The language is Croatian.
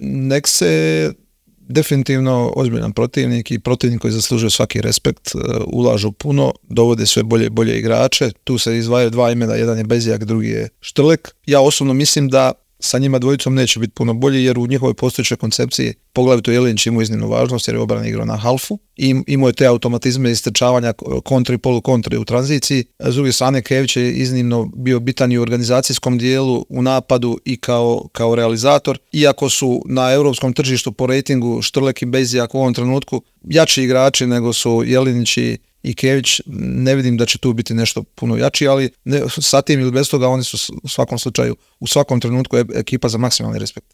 nek se definitivno ozbiljan protivnik i protivnik koji zaslužuje svaki respekt, ulažu puno, dovode sve bolje igrače, tu se izdvajaju dva imena, jedan je Bezjak, drugi je Štrlek. Ja osobno mislim da sa njima dvojicom neće biti puno bolji jer u njihovoj postojećoj koncepciji poglavito Jelinić imao iznimnu važnost jer je obrana igrao na halfu i imao je te automatizme istrčavanja kontri, polukontri u tranziciji. S druge strane Kević je iznimno bio bitan i u organizacijskom dijelu, u napadu i kao realizator. Iako su na europskom tržištu po rejtingu Štrlek i Bezjak u ovom trenutku jači igrači nego su Jelinić i Kević, ne vidim da će tu biti nešto puno jači, ali sa tim ili bez toga oni su u svakom slučaju, u svakom trenutku ekipa za maksimalni respekt.